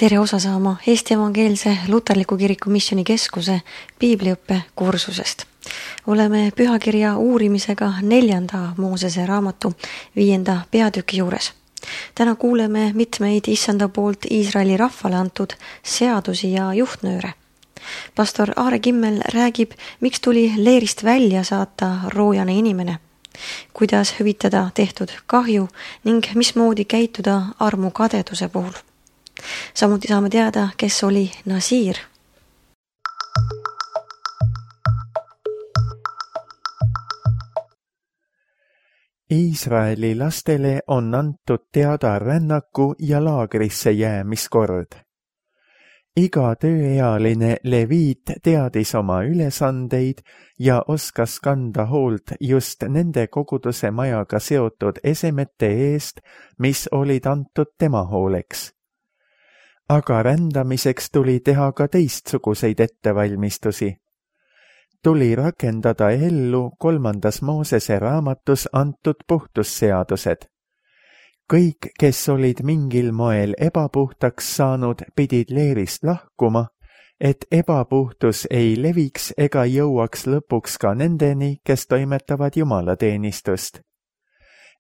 Tere osa saama Eesti Evangeelse Luterliku Kiriku Missioonikeskuse piibliõppe kursusest. Oleme pühakirja uurimisega 4. Moosese raamatu 5. peatüki juures. Täna kuuleme mitmeid issanda poolt Iisraeli rahvale antud seadusi ja juhtnööre. Pastor Aare Kimmel räägib, miks tuli leerist välja saata roojane inimene, kuidas hüvitada tehtud kahju ning mismoodi käituda armukadeduse puhul. Samuti saame teada, kes oli Nasiir. Iisraeli lastele on antud teada rännaku ja laagrisse jäämiskord. Iga tööealine leviit teadis oma ülesandeid ja oskas kanda hoolt just nende koguduse majaga seotud esemete eest, mis olid antud tema hooleks. Aga rändamiseks tuli teha ka teistsuguseid ettevalmistusi. Tuli rakendada ellu 3. Moosese raamatus antud puhtusseadused. Kõik, kes olid mingil moel ebapuhtaks saanud, pidid leerist lahkuma, et ebapuhtus ei leviks ega jõuaks lõpuks ka nendeni, kes toimetavad jumalateenistust.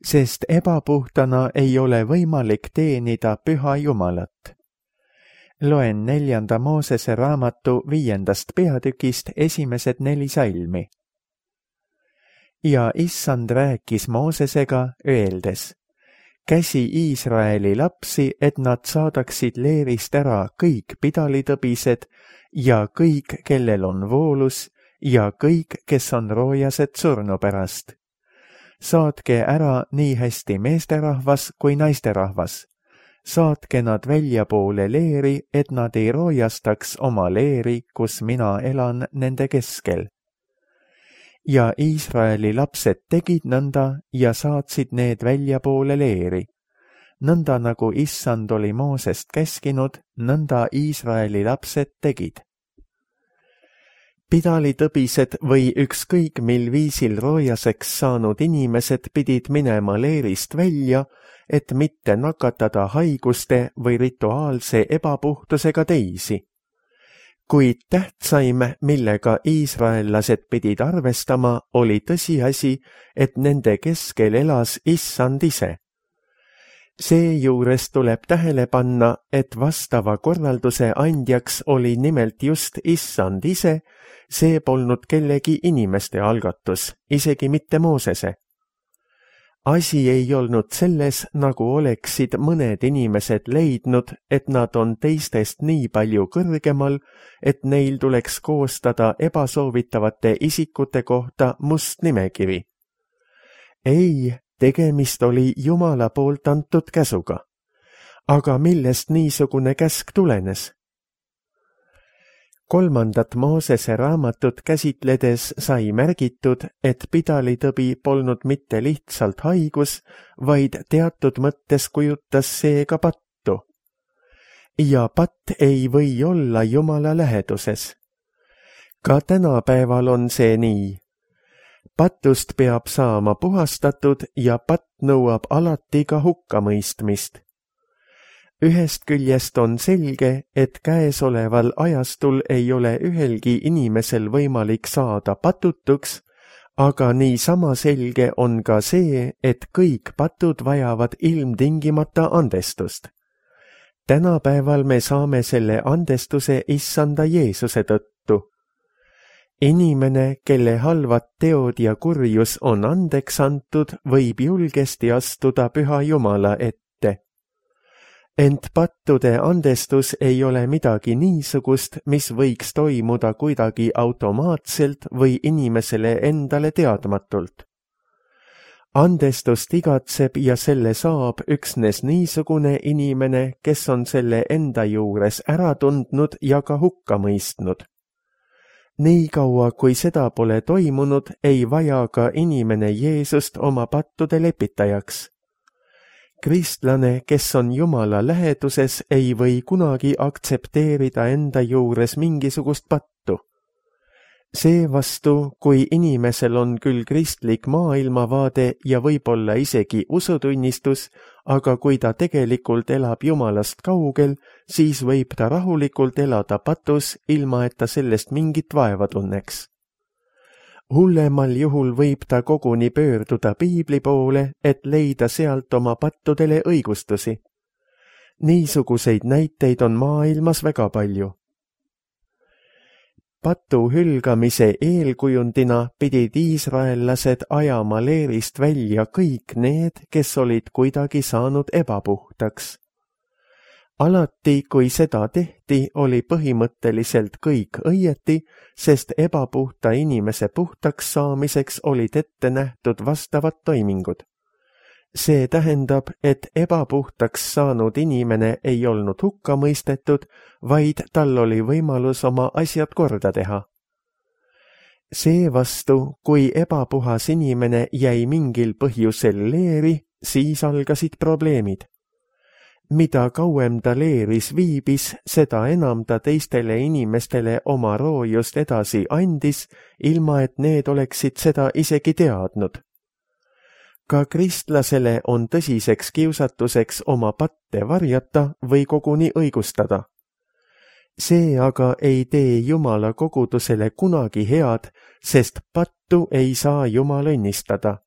Sest ebapuhtana ei ole võimalik teenida püha Jumalat. Loen 4. Moosese raamatu 5. peatükist esimesed 4 salmi. Ja issand rääkis Moosesega, öeldes: käsi Iisraeli lapsi, et nad saadaksid leerist ära kõik pidalitõbised ja kõik, kellel on voolus, ja kõik, kes on roojased surnu pärast. Saatke ära nii hästi meesterahvas kui naisterahvas. Saatke nad väljapoole leeri, et nad ei roojastaks oma leeri, kus mina elan nende keskel. Ja Iisraeli lapsed tegid nõnda ja saatsid need väljapoole leeri. Nõnda nagu issand oli Moosest käskinud, nõnda Iisraeli lapsed tegid. Pidalitõbised või ükskõik mil viisil roojaseks saanud inimesed pidid minema leerist välja, et mitte nakatada haiguste või rituaalse ebapuhtusega teisi. Kuid tähtsaim, millega iisraellased pidid arvestama, oli tõsiasi, et nende keskel elas issand ise. Seejuures tuleb tähele panna, et vastava korralduse andjaks oli nimelt just issand ise, see polnud kellegi inimeste algatus, isegi mitte Moosese. Asi ei olnud selles, nagu oleksid mõned inimesed leidnud, et nad on teistest nii palju kõrgemal, et neil tuleks koostada ebasoovitavate isikute kohta must nimekiri. Ei, tegemist oli Jumala poolt antud käsuga. Aga millest niisugune käsk tulenes? 3. Moosese raamatut käsitledes sai märgitud, et pidalitõbi polnud mitte lihtsalt haigus, vaid teatud mõttes kujutas see ka pattu. Ja patt ei või olla Jumala läheduses. Ka tänapäeval on see nii. Patust peab saama puhastatud ja patt nõuab alati ka hukkamõistmist. Ühest küljest on selge, et käesoleval ajastul ei ole ühelgi inimesel võimalik saada patutuks, aga niisama selge on ka see, et kõik patud vajavad ilmtingimata andestust. Tänapäeval me saame selle andestuse issanda Jeesuse tõttu. Inimene, kelle halvad teod ja kurjus on andeks antud, võib julgesti astuda püha Jumala ette. Ent pattude andestus ei ole midagi niisugust, mis võiks toimuda kuidagi automaatselt või inimesele endale teadmatult. Andestust igatseb ja selle saab üksnes niisugune inimene, kes on selle enda juures ära tundnud ja ka hukka mõistnud. Nii kaua, kui seda pole toimunud, ei vaja ka inimene Jeesust oma pattude lepitajaks. Kristlane, kes on Jumala läheduses, ei või kunagi aktsepteerida enda juures mingisugust pattu. Seevastu, kui inimesel on küll kristlik maailmavaade ja võib-olla isegi usutunnistus, aga kui ta tegelikult elab Jumalast kaugel, siis võib ta rahulikult elada patus, ilma et ta sellest mingit vaeva tunneks. Hullemal juhul võib ta koguni pöörduda piibli poole, et leida sealt oma pattudele õigustusi. Niisuguseid näiteid on maailmas väga palju. Patu hülgamise eelkujundina pidid iisraellased ajama leerist välja kõik need, kes olid kuidagi saanud ebapuhtaks. Alati, kui seda tehti, oli põhimõtteliselt kõik õieti, sest ebapuhta inimese puhtaks saamiseks olid ette nähtud vastavad toimingud. See tähendab, et ebapuhtaks saanud inimene ei olnud hukka mõistetud, vaid tal oli võimalus oma asjad korda teha. Seevastu, kui ebapuhas inimene jäi mingil põhjusel leeri, siis algasid probleemid. Mida kauem ta leeris viibis, seda enam ta teistele inimestele oma roojust edasi andis, ilma et need oleksid seda isegi teadnud. Ka kristlasele on tõsiseks kiusatuseks oma patte varjata või koguni õigustada. See aga ei tee Jumala kogudusele kunagi head, sest pattu ei saa Jumal õnnistada.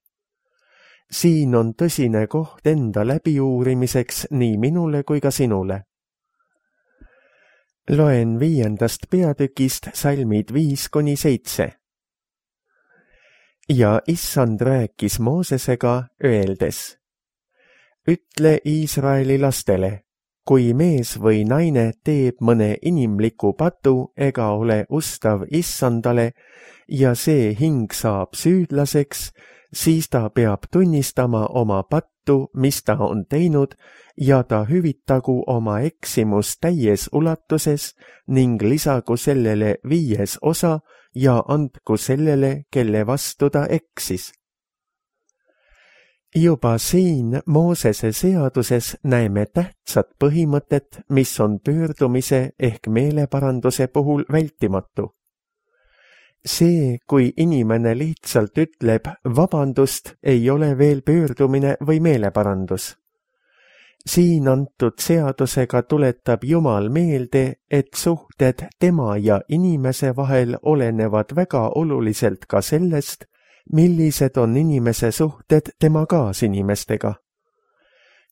Siin on tõsine koht enda läbiuurimiseks nii minule kui ka sinule. Loen 5. peatükist salmid 5-7. Ja Issand rääkis Moosesega, öeldes: Ütle Iisraeli lastele, kui mees või naine teeb mõne inimliku patu ega ole ustav Issandale ja see hing saab süüdlaseks, siis ta peab tunnistama oma pattu, mis ta on teinud, ja ta hüvitagu oma eksimus täies ulatuses ning lisagu sellele 5. osa ja andku sellele, kelle vastu ta eksis. Juba siin Moosese seaduses näeme tähtsat põhimõtet, mis on pöördumise ehk meeleparanduse puhul vältimatu. See, kui inimene lihtsalt ütleb vabandust, ei ole veel pöördumine või meeleparandus. Siin antud seadusega tuletab Jumal meelde, et suhted tema ja inimese vahel olenevad väga oluliselt ka sellest, millised on inimese suhted tema kaasinimestega.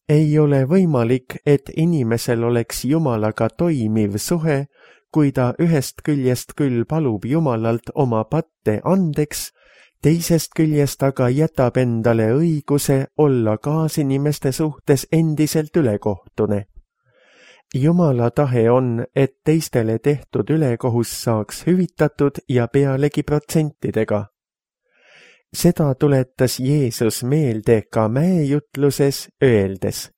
Ei ole võimalik, et inimesel oleks Jumalaga toimiv suhe, kui ta ühest küljest küll palub Jumalalt oma patte andeks, teisest küljest aga jätab endale õiguse olla kaasinimeste suhtes endiselt ülekohtune. Jumala tahe on, et teistele tehtud ülekohus saaks hüvitatud ja pealegi protsentidega. Seda tuletas Jeesus meelde ka mäejutluses, öeldes: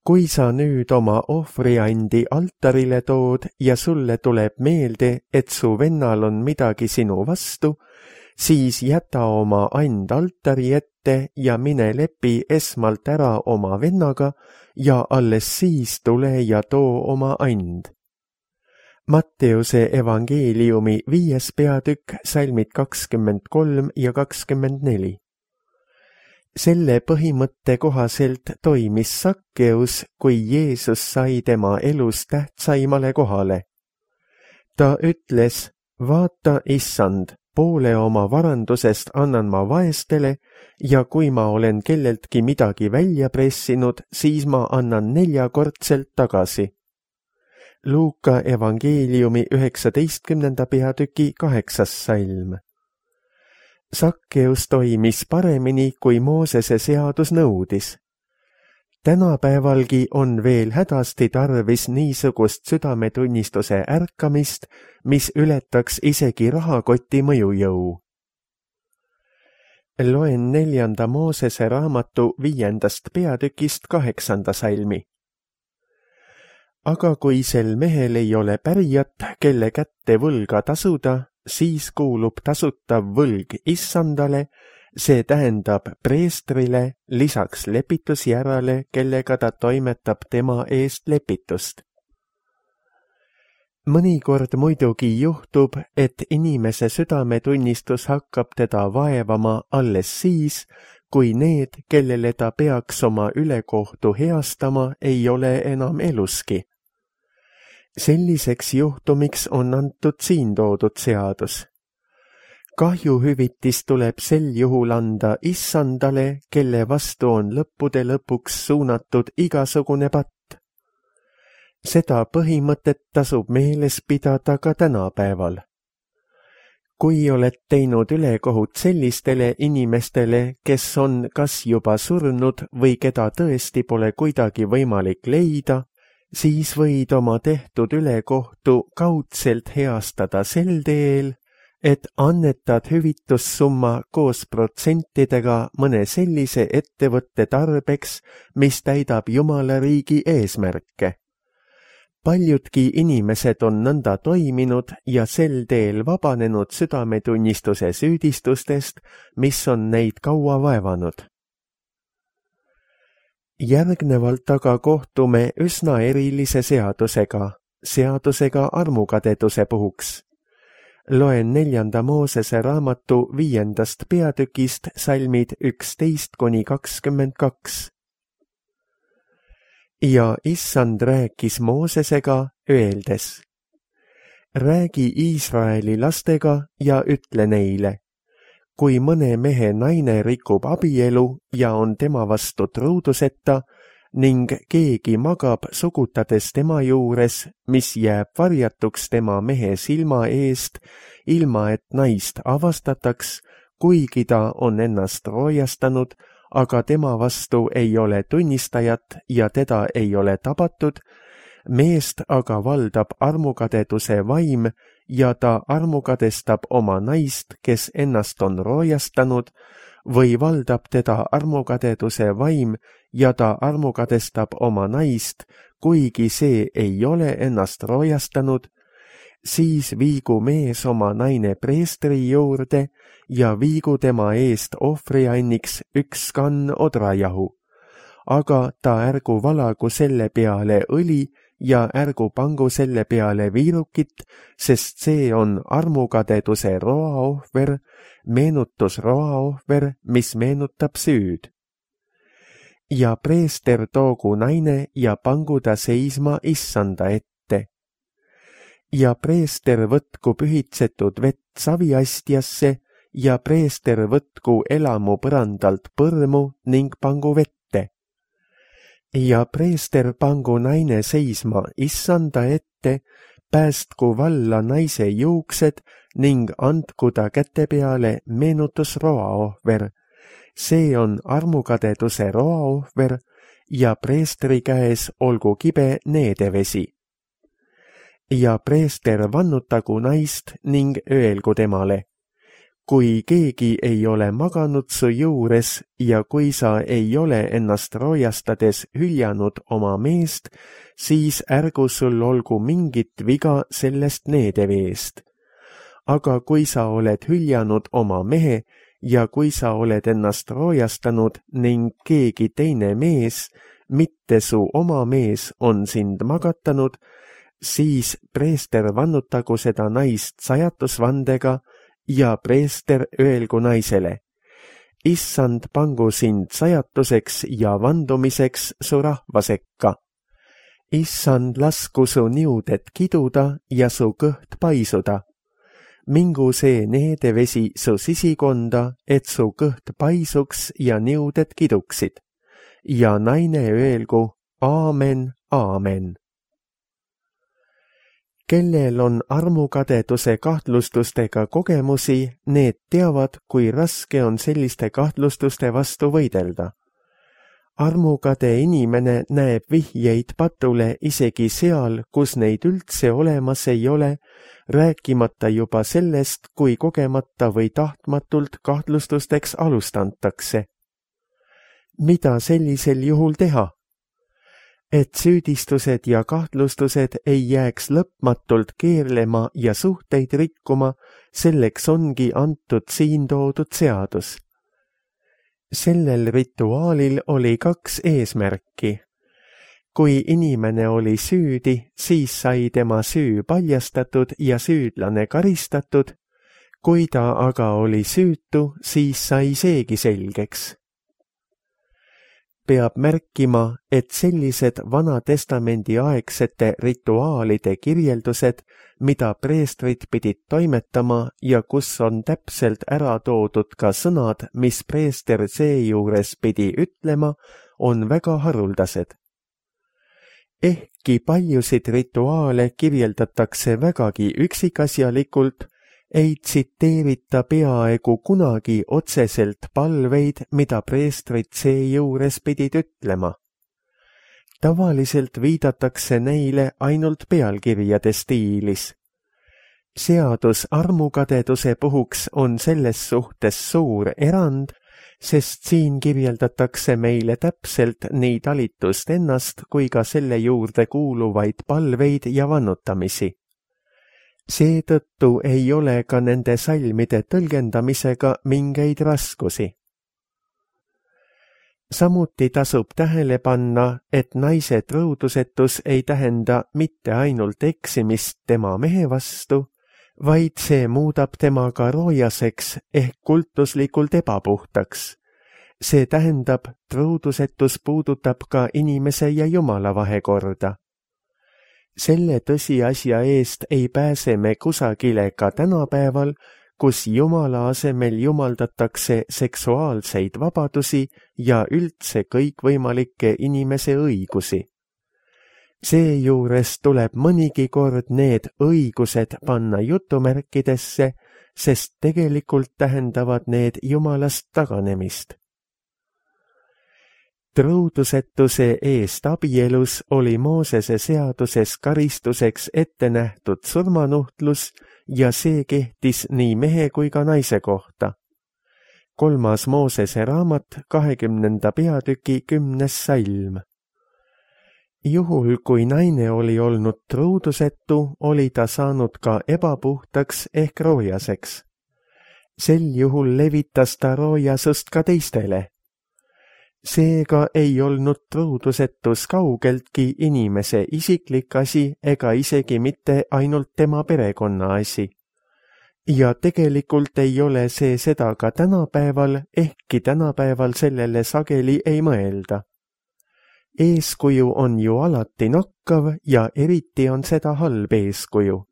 Kui sa nüüd oma ohvriandi altarile tood ja sulle tuleb meelde, et su vennal on midagi sinu vastu, siis jäta oma and altari ette ja mine lepi esmalt ära oma vennaga ja alles siis tule ja too oma and. Matteuse evangeeliumi 5. peatükk, salmid 23 ja 24. Selle põhimõtte kohaselt toimis Sakkeus, kui Jeesus sai tema elus tähtsaimale kohale. Ta ütles: Vaata, Issand, poole oma varandusest annan ma vaestele ja kui ma olen kelleltki midagi välja pressinud, siis ma annan 4-kordselt tagasi. Luuka evangeeliumi 19. peatüki 8. salm. Sakkeus toimis paremini, kui Moosese seadus nõudis. Tänapäevalgi on veel hädasti tarvis niisugust südametunnistuse ärkamist, mis ületaks isegi rahakoti mõjujõu. Loen 4. Moosese raamatu 5. peatükist 8. salmi. Aga kui sel mehel ei ole pärijat, kelle kätte võlga tasuda, siis kuulub tasutav võlg Issandale, see tähendab preestrile, lisaks lepitusjärale, kellega ta toimetab tema eest lepitust. Mõnikord muidugi juhtub, et inimese südametunnistus hakkab teda vaevama alles siis, kui need, kellele ta peaks oma ülekohtu heastama, ei ole enam eluski. Selliseks juhtumiks on antud siin toodud seadus. Kahjuhüvitis tuleb sel juhul anda issandale, kelle vastu on lõppude lõpuks suunatud igasugune patt. Seda põhimõtet tasub meeles pidada ka tänapäeval. Kui oled teinud ülekohut sellistele inimestele, kes on kas juba surnud või keda tõesti pole kuidagi võimalik leida, siis võid oma tehtud ülekohtu kaudselt heastada sel teel, et annetad hüvitussumma koos protsentidega mõne sellise ettevõtte tarbeks, mis täidab Jumala riigi eesmärke. Paljudki inimesed on nõnda toiminud ja sel teel vabanenud südametunnistuse süüdistustest, mis on neid kaua vaevanud. Järgnevalt aga kohtume üsna erilise seadusega armukadeduse puhuks. Loen 4. Moosese raamatu 5. peatükist salmid 11–22. Ja issand rääkis Moosesega, öeldes: räägi Iisraeli lastega ja ütle neile, kui mõne mehe naine rikub abielu ja on tema vastu truuduseta ning keegi magab sugutades tema juures, mis jääb varjatuks tema mehe silma eest, ilma et naist avastataks, kuigi ta on ennast roojastanud, aga tema vastu ei ole tunnistajat ja teda ei ole tabatud, meest aga valdab armukadeduse vaim ja ta armukadestab oma naist, kes ennast on roojastanud, või valdab teda armukadeduse vaim ja ta armukadestab oma naist, kuigi see ei ole ennast roojastanud, siis viigu mees oma naine preestri juurde ja viigu tema eest ohvrianniks 1 kann odrajahu. Aga ta ärgu valagu selle peale õli ja ärgu pangu selle peale viirukit, sest see on armukadeduse roaohver, meenutusroaohver, mis meenutab süüd. Ja preester toogu naine ja pangu ta seisma issanda ette. Ja preester võtku pühitsetud vett saviastjasse ja preester võtku elamu põrandalt põrmu ning pangu vette. Ja preester pangu naine seisma issanda ette, päästku valla naise juuksed ning andku ta käte peale meenutusroaohver. See on armukadeduse roaohver ja preestri käes olgu kibe needevesi. Ja preester vannutagu naist ning öelgu temale: kui keegi ei ole maganud su juures ja kui sa ei ole ennast roojastades hüljanud oma meest, siis ärgu sul olgu mingit viga sellest needeveest. Aga kui sa oled hüljanud oma mehe ja kui sa oled ennast roojastanud ning keegi teine mees, mitte su oma mees, on sind magatanud, siis preester vannutagu seda naist sajatusvandega ja preester öelgu naisele: issand pangu sind sajatuseks ja vandumiseks su rahva sekka. Issand lasku su niuded kiduda ja su kõht paisuda. Mingu see needevesi su sisikonda, et su kõht paisuks ja niuded kiduksid. Ja naine öelgu: aamen, aamen. Kellel on armukadeduse kahtlustustega kogemusi, need teavad, kui raske on selliste kahtlustuste vastu võidelda. Armukade inimene näeb vihjeid patule isegi seal, kus neid üldse olemas ei ole, rääkimata juba sellest, kui kogemata või tahtmatult kahtlustusteks alustantakse. Mida sellisel juhul teha? Et süüdistused ja kahtlustused ei jääks lõpmatult keerlema ja suhteid rikkuma, selleks ongi antud siin toodud seadus. Sellel rituaalil oli 2 eesmärki. Kui inimene oli süüdi, siis sai tema süü paljastatud ja süüdlane karistatud. Kui ta aga oli süütu, siis sai seegi selgeks. Peab märkima, et sellised Vana-testamendi aegsete rituaalide kirjeldused, mida preestrid pidid toimetama ja kus on täpselt ära toodud ka sõnad, mis preester seejuures pidi ütlema, on väga haruldased. Ehkki paljusid rituaale kirjeldatakse vägagi üksikasjalikult, ei tsiteerita peaaegu kunagi otseselt palveid, mida preestrid seejuures pidid ütlema. Tavaliselt viidatakse neile ainult pealkirjade stiilis. Seadus armukadeduse puhuks on selles suhtes suur erand, sest siin kirjeldatakse meile täpselt nii talitust ennast kui ka selle juurde kuuluvaid palveid ja vannutamisi. Seetõttu ei ole ka nende salmide tõlgendamisega mingeid raskusi. Samuti tasub tähele panna, et naise trõudusetus ei tähenda mitte ainult eksimist tema mehe vastu, vaid see muudab tema ka roojaseks ehk kultuslikult ebapuhtaks. See tähendab, trõudusetus puudutab ka inimese ja Jumala vahekorda. Selle tõsiasja eest ei pääse me kusagile ka tänapäeval, kus Jumala asemel jumaldatakse seksuaalseid vabadusi ja üldse kõikvõimalikke inimese õigusi. Seejuures tuleb mõnigi kord need õigused panna jutumärkidesse, sest tegelikult tähendavad need Jumalast taganemist. Trõudusetuse eest abielus oli Moosese seaduses karistuseks ette nähtud surmanuhtlus ja see kehtis nii mehe kui ka naise kohta. 3. Moosese raamat 20. peatüki 10. salm. Juhul, kui naine oli olnud trõudusetu, oli ta saanud ka ebapuhtaks ehk roojaseks. Sel juhul levitas ta roojasust ka teistele. Seega ei olnud trõudusetus kaugeltki inimese isiklik asi ega isegi mitte ainult tema perekonna asi. Ja tegelikult ei ole see seda ka tänapäeval, ehkki tänapäeval sellele sageli ei mõelda. Eeskuju on ju alati nakkav ja eriti on seda halb eeskuju.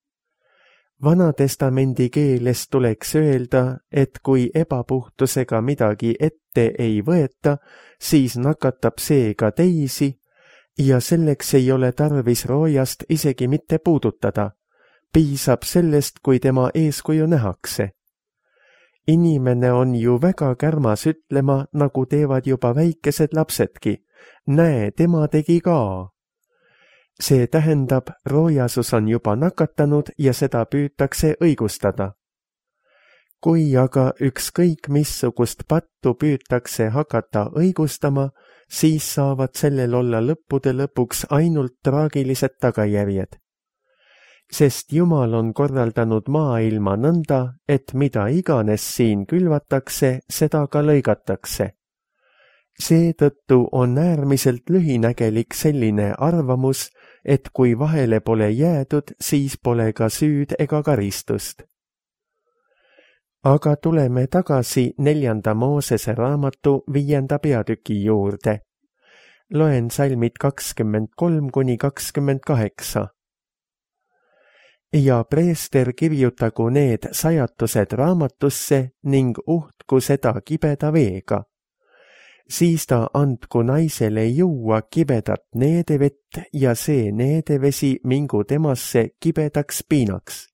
Vana-testamendi keeles tuleks öelda, et kui ebapuhtusega midagi ette ei võeta, siis nakatab see ka teisi ja selleks ei ole tarvis roojast isegi mitte puudutada. Piisab sellest, kui tema eeskuju nähakse. Inimene on ju väga kärmas ütlema, nagu teevad juba väikesed lapsedki. Näe, tema tegi ka. See tähendab, roojasus on juba nakatanud ja seda püütakse õigustada. Kui aga ükskõik missugust pattu püütakse hakata õigustama, siis saavad sellel olla lõppude lõpuks ainult traagilised tagajärjed. Sest Jumal on korraldanud maailma nõnda, et mida iganes siin külvatakse, seda ka lõigatakse. Seetõttu on äärmiselt lühinägelik selline arvamus, et kui vahele pole jäädud, siis pole ka süüd ega karistust. Aga tuleme tagasi 4. Moosese raamatu 5. peatüki juurde. Loen salmid 23–28. Ja preester kirjutagu need sajatused raamatusse ning uhtku seda kibeda veega. Siis ta andku naisele juua kibedat needevett ja see needevesi mingu temasse kibedaks piinaks.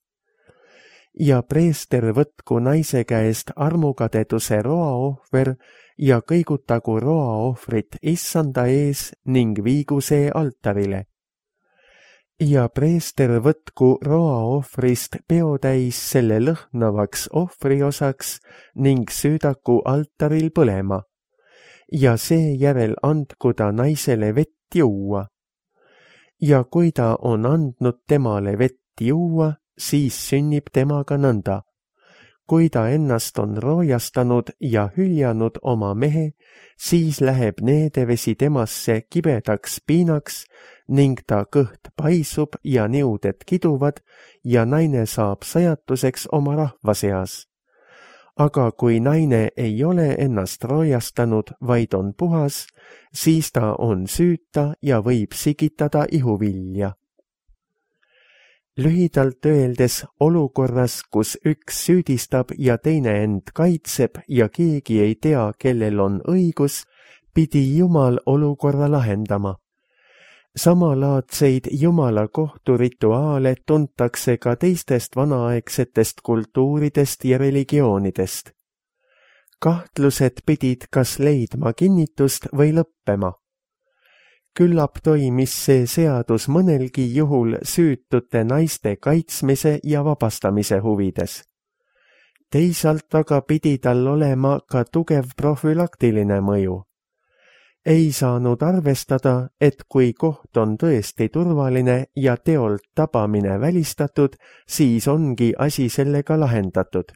Ja preester võtku naise käest armukadeduse roaohver ja kõigutagu roaohvrit issanda ees ning viigu see altarile. Ja preester võtku roaohvrist peotäis selle lõhnavaks ohvriosaks ning süüdaku altaril põlema. Ja seejärel andku ta naisele vett juua. Ja kui ta on andnud temale vett juua, siis sünnib temaga nõnda. kui ta ennast on roojastanud ja hüljanud oma mehe, siis läheb needevesi temasse kibedaks piinaks ning ta kõht paisub ja niuded kiduvad ja naine saab sajatuseks oma rahva seas. Aga kui naine ei ole ennast roojastanud, vaid on puhas, siis ta on süüta ja võib sigitada ihuvilja. Lühidalt öeldes olukorras, kus üks süüdistab ja teine end kaitseb ja keegi ei tea, kellel on õigus, pidi Jumal olukorra lahendama. Samalaadseid Jumala kohturituaale tuntakse ka teistest vanaaegsetest kultuuridest ja religioonidest. Kahtlused pidid kas leidma kinnitust või lõppema. Küllap toimis see seadus mõnelgi juhul süütute naiste kaitsmise ja vabastamise huvides. Teisalt aga pidi tal olema ka tugev profülaktiline mõju. Ei saanud arvestada, et kui koht on tõesti turvaline ja teolt tabamine välistatud, siis ongi asi sellega lahendatud.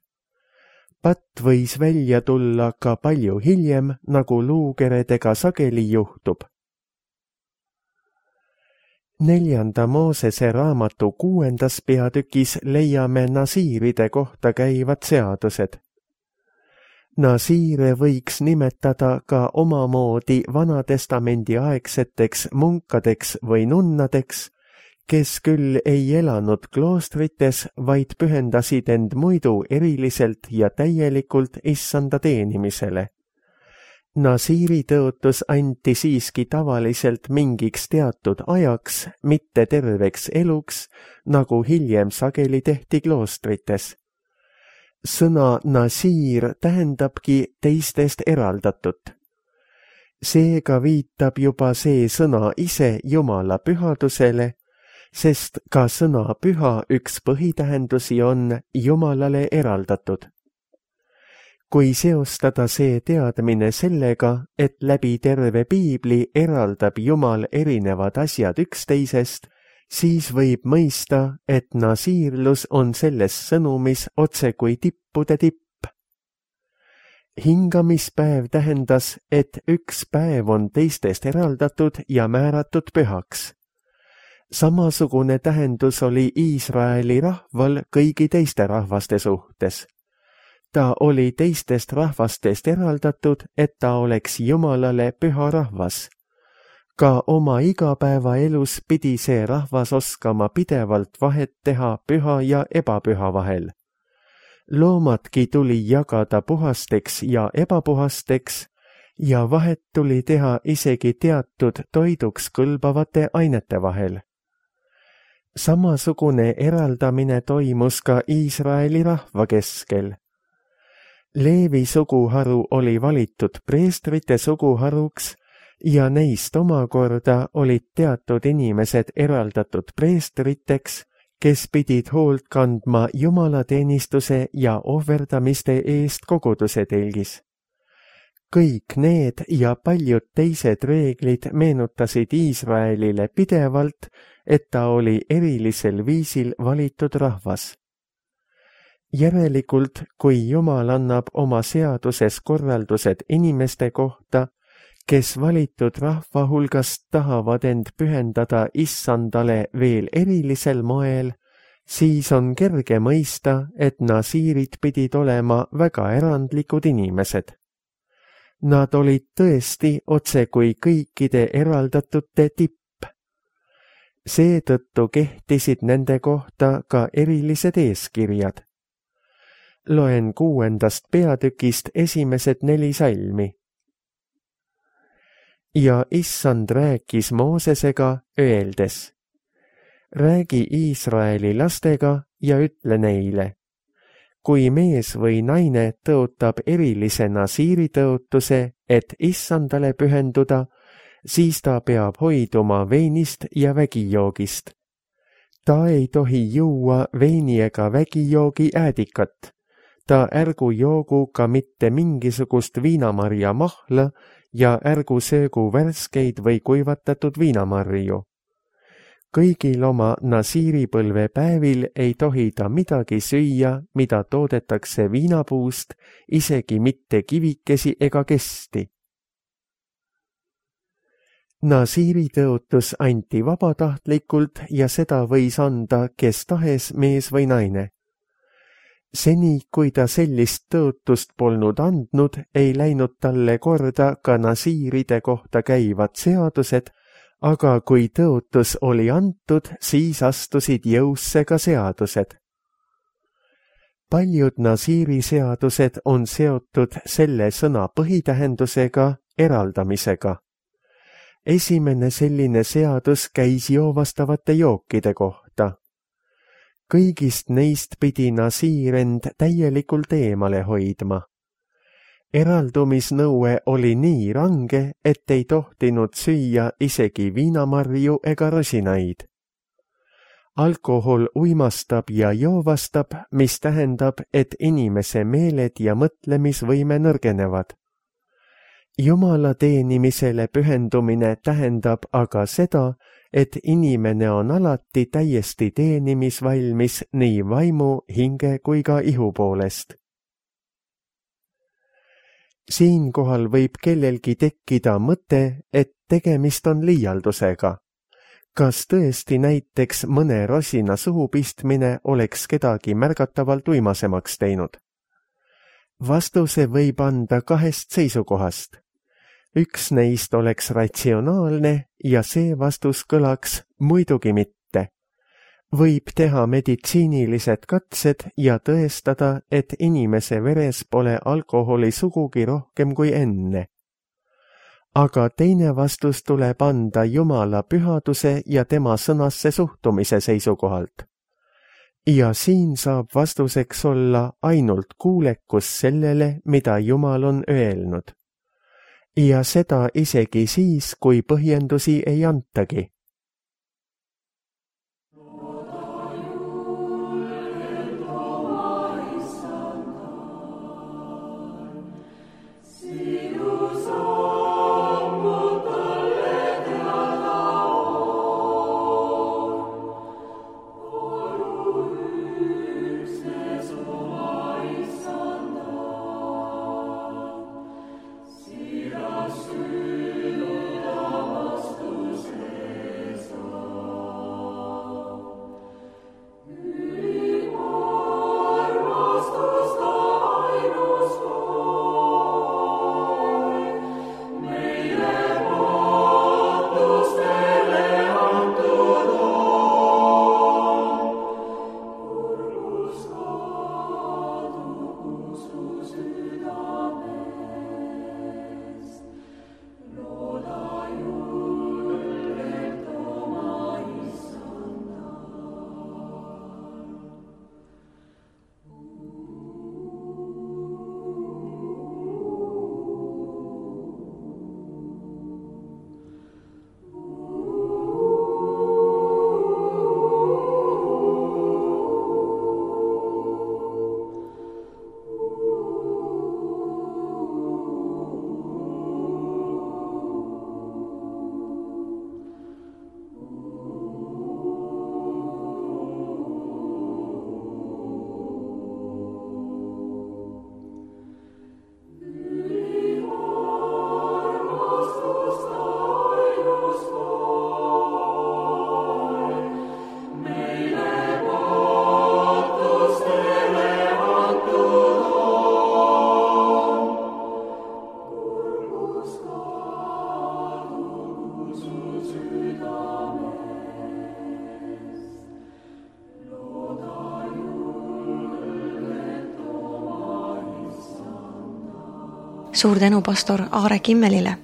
Patt võis välja tulla ka palju hiljem, nagu luukeredega sageli juhtub. 4. Moosese raamatu 6. peatükis leiame nasiiride kohta käivad seadused. Nasiire võiks nimetada ka omamoodi Vanatestamendi aegseteks munkadeks või nunnadeks, kes küll ei elanud kloostrites, vaid pühendasid end muidu eriliselt ja täielikult issanda teenimisele. Nasiiri tõotus anti siiski tavaliselt mingiks teatud ajaks, mitte terveks eluks, nagu hiljem sageli tehti kloostrites. Sõna nasiir tähendabki teistest eraldatut. Seega viitab juba see sõna ise Jumala pühadusele, sest ka sõna püha üks põhitähendusi on Jumalale eraldatud. Kui seostada see teadmine sellega, et läbi terve piibli eraldab Jumal erinevad asjad üksteisest, siis võib mõista, et nasiirlus on selles sõnumis otse kui tippude tipp. Hingamispäev tähendas, et üks päev on teistest eraldatud ja määratud pühaks. Samasugune tähendus oli Iisraeli rahval kõigi teiste rahvaste suhtes. Ta oli teistest rahvastest eraldatud, et ta oleks Jumalale püha rahvas. Ka oma igapäevaelus pidi see rahvas oskama pidevalt vahet teha püha ja ebapüha vahel. Loomadki tuli jagada puhasteks ja ebapuhasteks ja vahet tuli teha isegi teatud toiduks kõlbavate ainete vahel. Samasugune eraldamine toimus ka Iisraeli rahva keskel. Leevi suguharu oli valitud preestrite suguharuks ja neist omakorda olid teatud inimesed eraldatud preestriteks, kes pidid hoolt kandma jumalateenistuse ja ohverdamiste eest koguduse telgis. Kõik need ja paljud teised reeglid meenutasid Iisraelile pidevalt, et ta oli erilisel viisil valitud rahvas. Järelikult, kui Jumal annab oma seaduses korraldused inimeste kohta, kes valitud rahva hulgast tahavad end pühendada issandale veel erilisel moel, siis on kerge mõista, et nasiirid pidid olema väga erandlikud inimesed. Nad olid tõesti otse kui kõikide eraldatute tipp. Seetõttu kehtisid nende kohta ka erilised eeskirjad. Loen 6. peatükist esimesed 4 salmi. Ja issand rääkis Moosesega, öeldes: räägi Iisraeli lastega ja ütle neile: kui mees või naine tõotab erilise nasiiri tõotuse, et issandale pühenduda, siis ta peab hoiduma veinist ja vägijoogist. Ta ei tohi juua veini ega vägijoogi äädikat. Ta ärgu joogu ka mitte mingisugust viinamarja mahla ja ärgu söögu värskeid või kuivatatud viinamarju. kõigil oma nasiiripõlve päevil ei tohi ta midagi süüa, mida toodetakse viinapuust, isegi mitte kivikesi ega kesti. Nasiiri tõotus anti vabatahtlikult ja seda võis anda kes tahes mees või naine. Seni, kui ta sellist tõotust polnud andnud, ei läinud talle korda ka nasiiride kohta käivad seadused, aga kui tõotus oli antud, siis astusid jõusse ka seadused. Paljud nasiiri seadused on seotud selle sõna põhitähendusega, eraldamisega. Esimene selline seadus käis joovastavate jookide kohta. Kõigist neist pidi nasiir end täielikult eemale hoidma. Eraldumisnõue oli nii range, et ei tohtinud süüa isegi viinamarju ega rosinaid. Alkohol uimastab ja joovastab, mis tähendab, et inimese meeled ja mõtlemisvõime nõrgenevad. Jumala teenimisele pühendumine tähendab aga seda, et inimene on alati täiesti teenimisvalmis nii vaimu, hinge kui ka ihu poolest. Siinkohal võib kellelgi tekkida mõte, et tegemist on liialdusega. Kas tõesti näiteks mõne rosina suhu pistmine oleks kedagi märgatavalt uimasemaks teinud? Vastuse võib anda kahest seisukohast. Üks neist oleks ratsionaalne ja see vastus kõlaks muidugi mitte. Võib teha meditsiinilised katsed ja tõestada, et inimese veres pole alkoholi sugugi rohkem kui enne. Aga teine vastus tuleb anda Jumala pühaduse ja tema sõnasse suhtumise seisukohalt. Ja siin saab vastuseks olla ainult kuulekus sellele, mida Jumal on öelnud. Ja seda isegi siis, kui põhjendusi ei antagi. Suur tänu pastor Aare Kimmelile.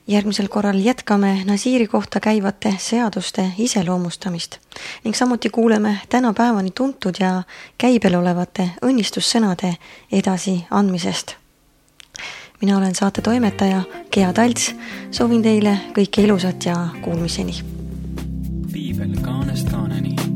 Järgmisel korral jätkame nasiiri kohta käivate seaduste iseloomustamist ning samuti kuuleme tänapäevani tuntud ja käibel olevate õnnistussõnade edasi andmisest. Mina olen saate toimetaja Gea Talts, soovin teile kõike ilusat ja kuulmiseni. Piibel kaanest kaaneni.